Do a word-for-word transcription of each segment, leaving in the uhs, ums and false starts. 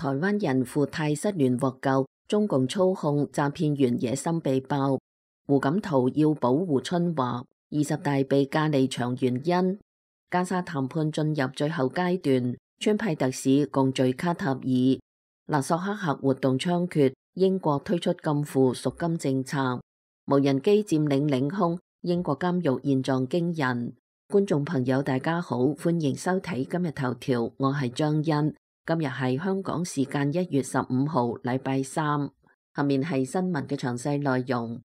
台灣人赴泰失聯獲救，中共操控詐騙員野心被爆。胡錦濤要保護春華，二十大被架離場原因。加沙談判進入最後階段，川普特使共聚卡塔爾。勒索黑客活動猖獗，英國推出禁錮贖金政策。無人機佔領領空，英國監獄現狀驚人。觀眾朋友大家好，歡迎收睇今日頭條，我係張欣。今日係香港時間一月十五號，禮拜三。下面係新聞嘅詳細內容。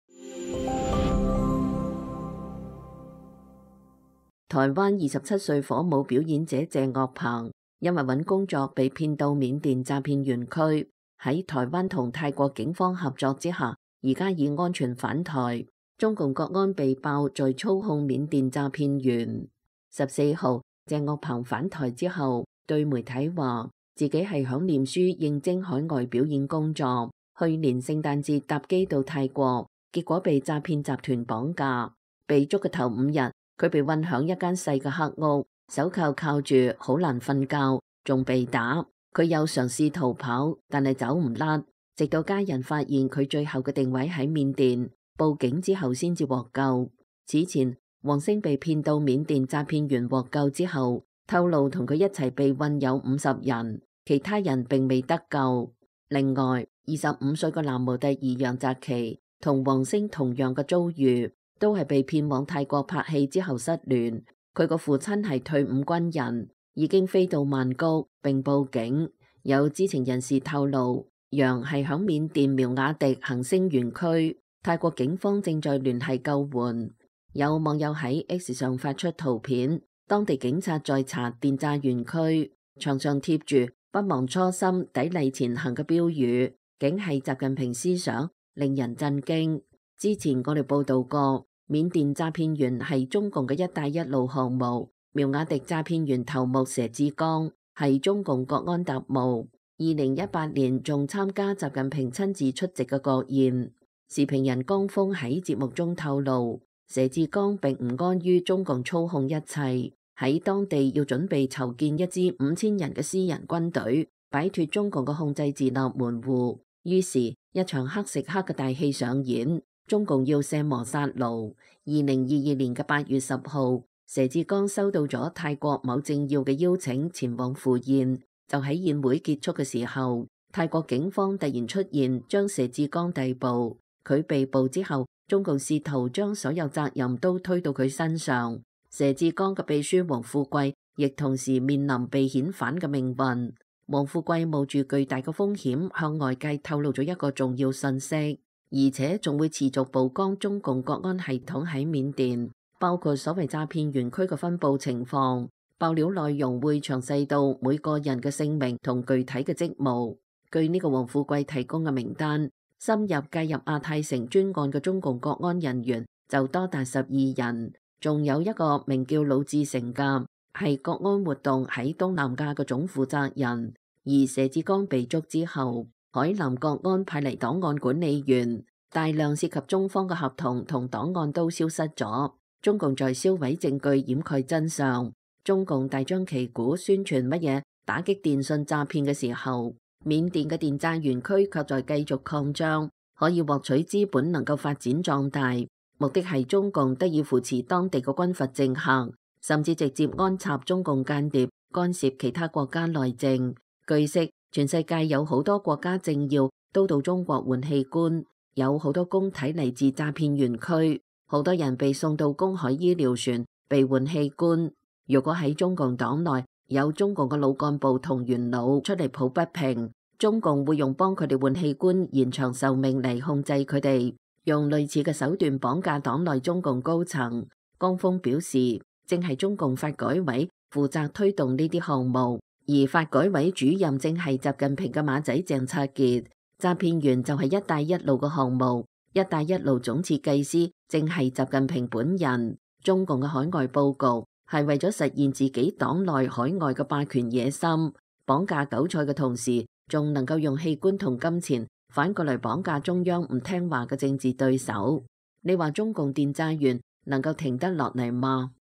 台灣二十七歲火舞表演者謝岳鵬，因為揾工作被騙到緬甸詐騙園區，喺台灣同泰國警方合作之下，而家已安全返台。中共國安被爆在操控緬甸詐騙員。十四號，謝岳鵬返台之後，對媒體話自己係響念書應徵海外表演工作。去年聖誕節搭機到泰國，結果被詐騙集團綁架。被捉嘅頭五日，佢被困響一間細嘅黑屋，手銬銬住，好難瞓覺，仲被打。佢又嘗試逃跑，但係走唔甩，直到家人發現佢最後嘅定位喺緬甸，報警之後先至獲救。此前，王星被騙到緬甸詐騙員獲救之後，透露同佢一齊被困有五十人，其他人並未得救。另外，二十五歲嘅男模特兒楊澤琪同王星同樣嘅遭遇，都係被騙往泰國拍戲之後失聯。佢個父親係退伍軍人，已經飛到曼谷並報警。有知情人士透露，楊係響緬甸苗瓦迪恒星園區，泰國警方正在聯繫救援。有網友喺 X 上發出圖片，當地警察在查電詐園區，牆上貼住不忘初心、砥礪前行嘅標語，竟係習近平思想，令人震驚。之前我哋報道過，緬甸詐騙員係中共嘅一帶一路項目，苗瓦迪詐騙員頭目佘志剛係中共國安特務，二零一八年仲參加習近平親自出席嘅國宴。時評人江峰喺節目中透露，佘志剛並唔安於中共操控一切，喺當地要準備籌建一支五千人嘅私人軍隊，擺脫中共嘅控制自立門戶。於是，一場黑食黑嘅大戲上演，中共要卸磨殺奴。二零二二年嘅八月十號，佘志剛收到咗泰國某政要嘅邀請前往赴宴，就喺宴會結束嘅時候，泰國警方突然出現，將佘志剛逮捕。佢被捕之後，中共試圖將所有責任都推到佢身上。佘志剛嘅秘書王富貴亦同時面臨被遣返嘅命運。王富貴冒住巨大嘅風險向外界透露咗一個重要信息，而且仲會持續曝光中共國安系統喺緬甸，包括所謂詐騙園區嘅分佈情況。爆料內容會詳細到每個人嘅姓名同具體嘅職務。據呢個王富貴提供嘅名單，深入介入亞太城專案嘅中共國安人員就多達十二人，仲有一個名叫魯志成嘅，係國安活動喺東南亞嘅總負責人。而佘志剛被捉之後，海南國安派嚟檔案管理員，大量涉及中方嘅合同同檔案都消失咗。中共在銷毀證據、掩蓋真相。中共大張旗鼓宣傳乜嘢打擊電信詐騙嘅時候，緬甸嘅電詐園區卻在繼續擴張，可以獲取資本，能夠發展壯大。目的係中共得以扶持當地嘅軍閥政客，甚至直接安插中共間諜，干涉其他國家內政。據悉，全世界有好多國家政要都到中國換器官，有好多公體嚟自詐騙園區，好多人被送到公海醫療船被換器官。如果喺中共黨內有中共嘅老幹部同元老出嚟抱不平，中共會用幫佢哋換器官延長壽命嚟控制佢哋，用類似嘅手段綁架黨內中共高層。江峰表示，正係中共發改委負責推動呢啲項目，而發改委主任正係習近平嘅馬仔鄭策傑。詐騙員就係一帶一路嘅項目，一帶一路總設計師正係習近平本人。中共嘅海外佈局係為咗實現自己黨內海外嘅霸權野心，綁架韭菜嘅同時，仲能夠用器官同金錢反過來綁架中央唔聽話嘅政治對手。你話中共電詐員能夠停得落嚟嗎？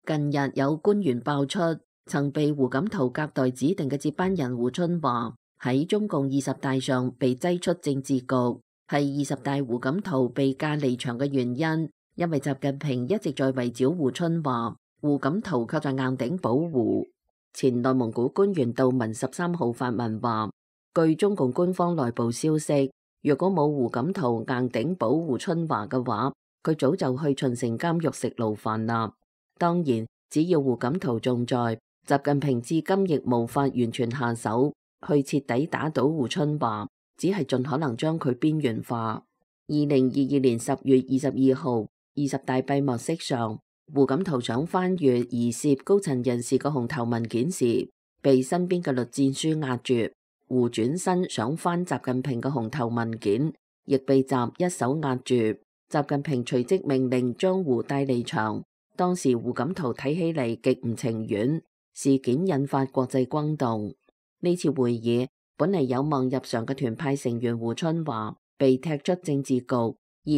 近日有官員爆出，曾被胡錦濤隔代指定嘅接班人胡春華喺中共二十大上被擠出政治局，係二十大胡錦濤被架離場嘅原因，因為習近平一直在圍剿胡春華，胡錦濤卻在硬頂保胡。前內蒙古官員杜文十三號發文話，據中共官方內部消息，若果冇胡錦濤硬頂保胡春華嘅話，佢早就去秦城監獄食牢飯啦。當然，只要胡錦濤仲在，習近平至今亦無法完全下手去徹底打倒胡春華，只係盡可能將佢邊緣化。二零二二年十月二十二號，二十大閉幕式上，胡錦濤想翻閱疑涉高層人士嘅紅頭文件時，被身邊嘅栗戰書壓住。胡轉身想翻習近平嘅紅頭文件，亦被習一手壓住。習近平隨即命令將胡帶離場。當時胡錦濤睇起嚟極唔情願，事件引發國際轟動。呢次會議本嚟有望入常嘅團派成員胡春華被踢出政治局，二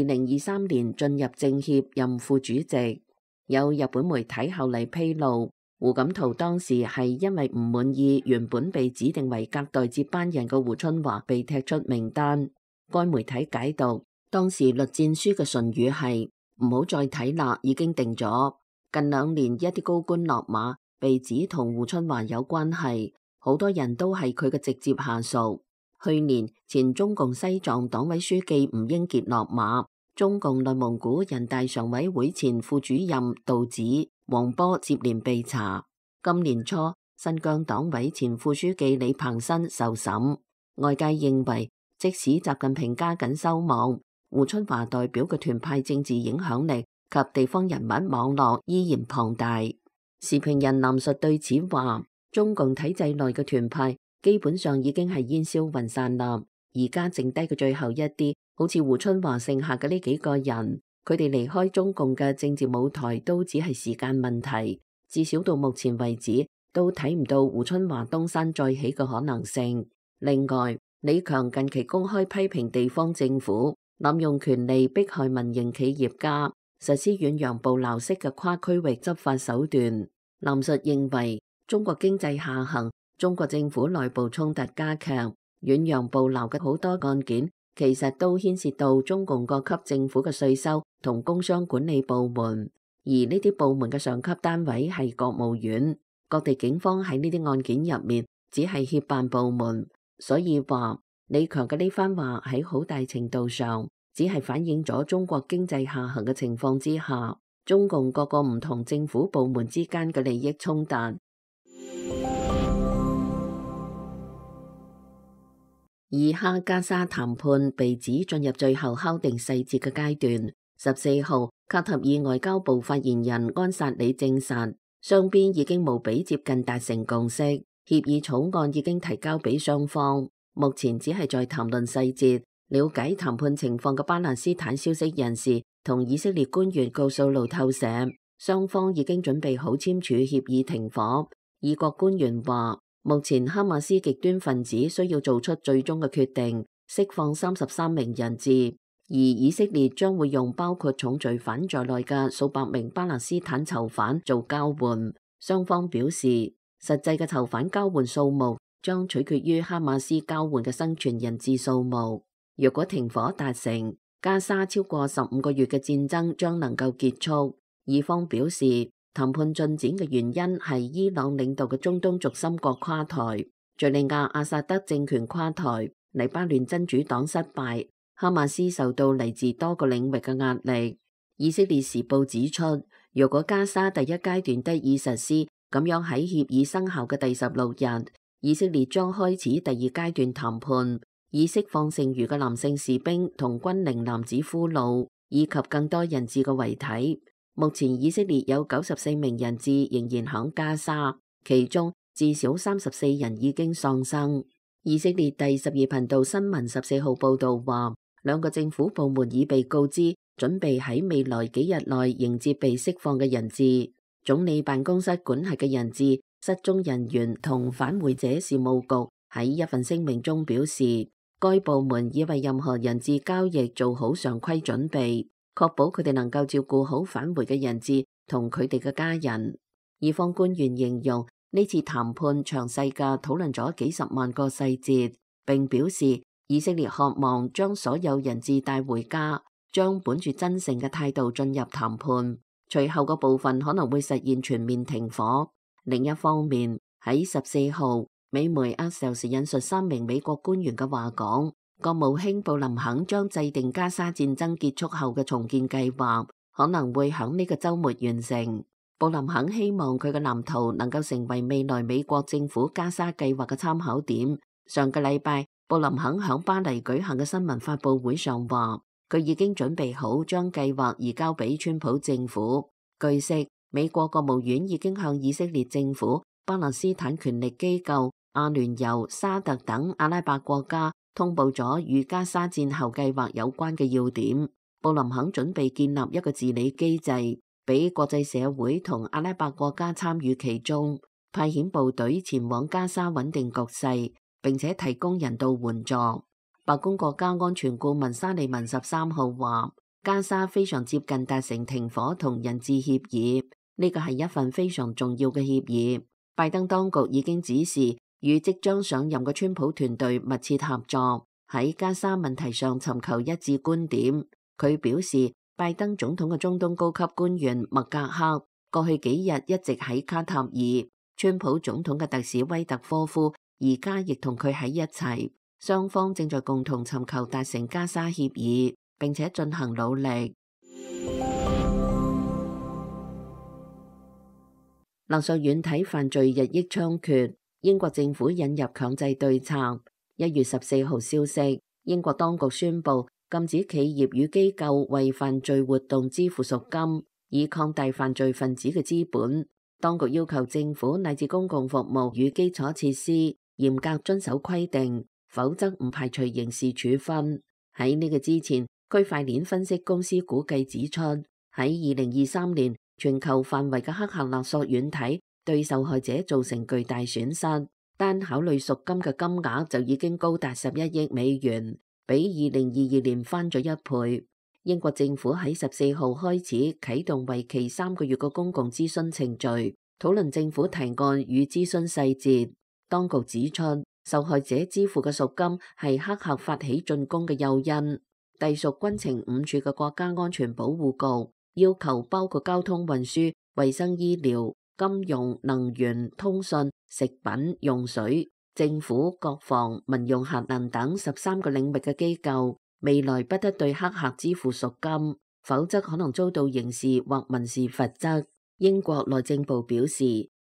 零二三年進入政協任副主席。有日本媒體後嚟披露，胡錦濤當時係因為唔滿意原本被指定為隔代接班人嘅胡春華被踢出名單。該媒體解讀，當時栗戰書嘅唇語係唔好再睇啦，已經定咗。近兩年一啲高官落馬，被指同胡春華有關係，好多人都係佢嘅直接下屬。去年前中共西藏黨委書記吳英傑落馬，中共內蒙古人大常委會前副主任杜子、黃波接連被查。今年初，新疆黨委前副書記李鵬新受審。外界認為，即使習近平加緊收網，胡春華代表嘅團派政治影響力及地方人物網絡依然龐大。時評人藍述對此話，中共體制內嘅團派基本上已經係煙消雲散啦，而家剩低嘅最後一啲，好似胡春華剩下嘅呢幾個人，佢哋離開中共嘅政治舞台都只係時間問題。至少到目前為止，都睇唔到胡春華東山再起嘅可能性。另外，李強近期公開批評地方政府濫用權力迫害民營企業家，實施遠洋捕撈式嘅跨區域執法手段。藍述認為，中國經濟下行，中國政府內部衝突加劇，遠洋捕撈嘅好多案件，其實都牽涉到中共各級政府嘅稅收同工商管理部門，而呢啲部門嘅上級單位係國務院，各地警方喺呢啲案件入面只係協辦部門，所以話李強嘅呢番話喺好大程度上只係反映咗中國經濟下行嘅情況之下，中共各個唔同政府部門之間嘅利益衝突。以哈加沙談判被指進入最後敲定細節嘅階段。十四號，卡塔爾外交部發言人安薩里證實，雙邊已經無比接近達成共識，協議草案已經提交俾雙方，目前只係在談論細節。了解談判情況嘅巴勒斯坦消息人士同以色列官員告訴路透社，雙方已經準備好簽署協議停火。以國官員話，目前哈馬斯極端分子需要做出最終嘅決定，釋放三十三名人質，而以色列將會用包括重罪犯在內嘅數百名巴勒斯坦囚犯做交換。雙方表示，實際嘅囚犯交換數目將取決於哈馬斯交換嘅生存人質數目。若果停火達成，加沙超過十五個月嘅戰爭將能夠結束。以方表示，談判進展嘅原因係伊朗領導嘅中東軸心國垮台，敘利亞阿薩德政權垮台，黎巴嫩真主黨失敗，哈馬斯受到嚟自多個領域嘅壓力。以色列時報指出，若果加沙第一階段得以實施，咁樣喺協議生效嘅第十六日，以色列將開始第二階段談判，以釋放剩餘嘅男性士兵同軍齡男子俘虜，以及更多人質嘅遺體。目前以色列有九十四名人質仍然響加沙，其中至少三十四人已經喪生。以色列第十二頻道新聞十四號報道話，兩個政府部門已被告知準備喺未來幾日內迎接被釋放嘅人質。總理辦公室管轄嘅人質、失蹤人員同返回者事務局喺一份聲明中表示，該部門已為任何人質交易做好常規準備，確保佢哋能夠照顧好返回嘅人質同佢哋嘅家人。以方官員形容呢次談判詳細嘅討論咗幾十萬個細節，並表示以色列渴望將所有人質帶回家，將本住真誠嘅態度進入談判。隨後嘅部分可能會實現全面停火。另一方面，喺十四號，美媒 Axios 引述三名美國官員嘅話講，國務卿布林肯將制定加沙戰爭結束後嘅重建計劃，可能會喺呢個週末完成。布林肯希望佢嘅藍圖能夠成為未來美國政府加沙計劃嘅參考點。上個禮拜，布林肯喺巴黎舉行嘅新聞發佈會上話，佢已經準備好將計劃移交俾川普政府。據悉，美國國務院已經向以色列政府、巴勒斯坦權力機構、阿聯酋、沙特等阿拉伯國家通報咗與加沙戰後計劃有關嘅要點。布林肯準備建立一個治理機制，俾國際社會同阿拉伯國家參與其中，派遣部隊前往加沙穩定局勢，並且提供人道援助。白宮國家安全顧問沙利文十三號話，加沙非常接近達成停火同人質協議，呢個係一份非常重要嘅協議。拜登當局已經指示與即將上任嘅川普團隊密切合作，喺加沙問題上尋求一致觀點。佢表示，拜登總統嘅中東高級官員麥格克過去幾日一直喺卡塔爾，川普總統嘅特使威特科夫而家亦同佢喺一齊，雙方正在共同尋求達成加沙協議，並且進行努力。勒索軟體犯罪日益猖獗，英國政府引入強制對策。一月十四號消息，英國當局宣布禁止企業與機構為犯罪活動支付贖金，以擴大犯罪分子嘅資本。當局要求政府乃至公共服務與基礎設施嚴格遵守規定，否則唔排除刑事處分。喺呢個之前，區塊鏈分析公司估計指出，喺二零二三年，全球範圍嘅黑客勒索軟體對受害者造成巨大損失，單考慮贖金嘅金額就已經高達十一億美元，比二零二二年翻咗一倍。英國政府喺十四號開始啟動為期三個月嘅公共諮詢程序，討論政府提案與諮詢細節。當局指出，受害者支付嘅贖金係黑客發起進攻嘅誘因。隸屬軍情五處嘅國家安全保護局要求包括交通運輸、衛生醫療、金融、能源、通訊、食品、用水、政府、國防、民用核能等十三個領域嘅機構，未來不得對黑客支付贖金，否則可能遭到刑事或民事罰則。英國內政部表示，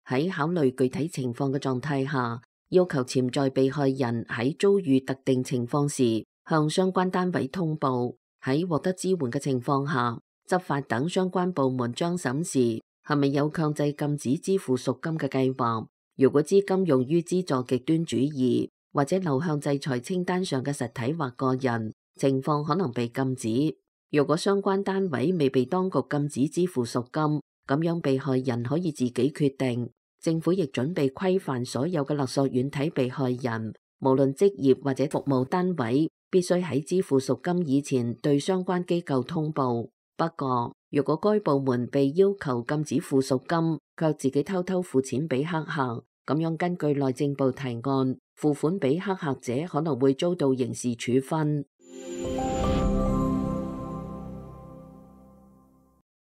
喺考慮具體情況嘅狀態下，要求潛在被害人喺遭遇特定情況時向相關單位通報。喺獲得支援嘅情況下，執法等相關部門將審視係咪有強制禁止支付贖金嘅計劃。如果資金用於資助極端主義或者流向制裁清單上嘅實體或個人，情況可能被禁止。如果相關單位未被當局禁止支付贖金，咁樣被害人可以自己決定。政府亦準備規範所有嘅勒索軟體被害人，無論職業或者服務單位，必須喺支付贖金以前對相關機構通報。不過，如果該部門被要求禁止付贖金，卻自己偷偷付錢俾黑客，咁樣根據內政部提案，付款俾黑客者可能會遭到刑事處分。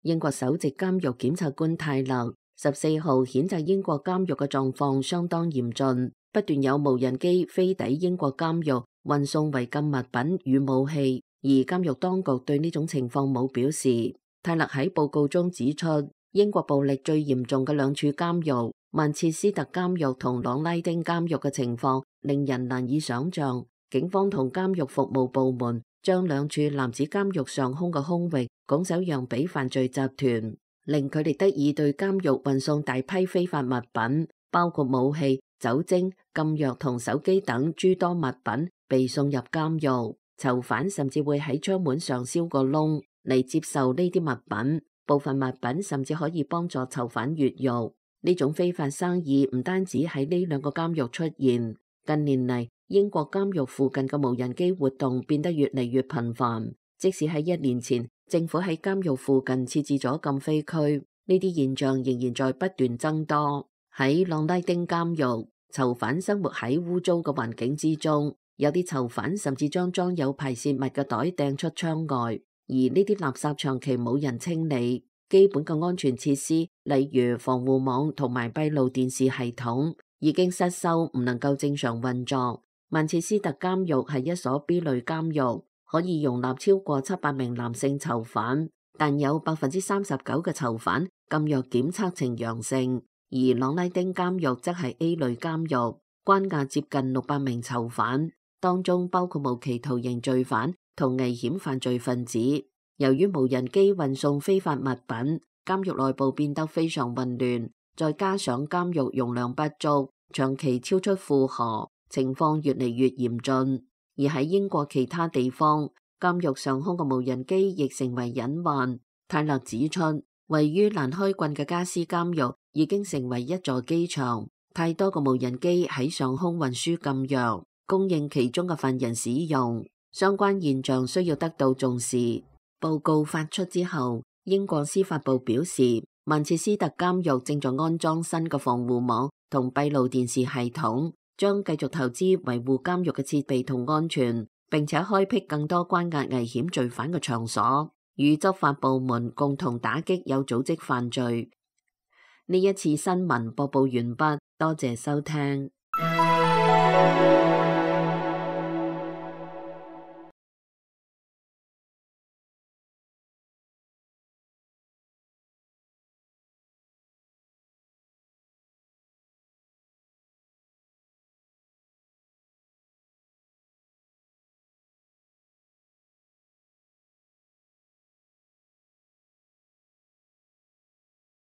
英國首席監獄檢察官泰勒十四號譴責英國監獄嘅狀況相當嚴峻，不斷有無人機飛抵英國監獄，運送違禁物品與武器。而監獄當局對呢種情況冇表示。泰勒喺報告中指出，英國暴力最嚴重嘅兩處監獄曼徹斯特監獄同朗拉丁監獄嘅情況令人難以想象。警方同監獄服務部門將兩處男子監獄上空嘅空域拱手讓俾犯罪集團，令佢哋得以對監獄運送大批非法物品，包括武器、酒精、禁藥同手機等諸多物品被送入監獄。囚犯甚至會喺窗門上燒個窿嚟接受呢啲物品，部分物品甚至可以幫助囚犯越獄。呢種非法生意唔單止喺呢兩個監獄出現，近年嚟英國監獄附近嘅無人機活動變得越嚟越頻繁。即使喺一年前，政府喺監獄附近設置咗禁飛區，呢啲現象仍然在不斷增多。喺朗拉丁監獄，囚犯生活喺污糟嘅環境之中，有啲囚犯甚至將裝有排泄物嘅袋掟出窗外，而呢啲垃圾長期冇人清理。基本嘅安全設施，例如防護網同埋閉路電視系統，已經失修，唔能夠正常運作。曼徹斯特監獄係一所 B 類監獄，可以容納超過七百名男性囚犯，但有百分之三十九嘅囚犯禁藥檢測呈陽性。而朗拉丁監獄則係 A 類監獄，關押接近六百名囚犯，當中包括無期徒刑罪犯同危險犯罪分子。由於無人機運送非法物品，監獄內部變得非常混亂，再加上監獄容量不足，長期超出負荷，情況越嚟越嚴峻。而喺英國其他地方，監獄上空嘅無人機亦成為隱患。泰勒指出，位於蘭開郡嘅加斯監獄已經成為一座機場，太多個無人機喺上空運輸禁藥，供應其中嘅犯人使用。相關現象需要得到重視。報告發出之後，英國司法部表示，曼徹斯特監獄正在安裝新嘅防護網同閉路電視系統，將繼續投資維護監獄嘅設備同安全，並且開闢更多關押危險罪犯嘅場所，與執法部門共同打擊有組織犯罪。呢一次新聞播報完畢，多謝收聽。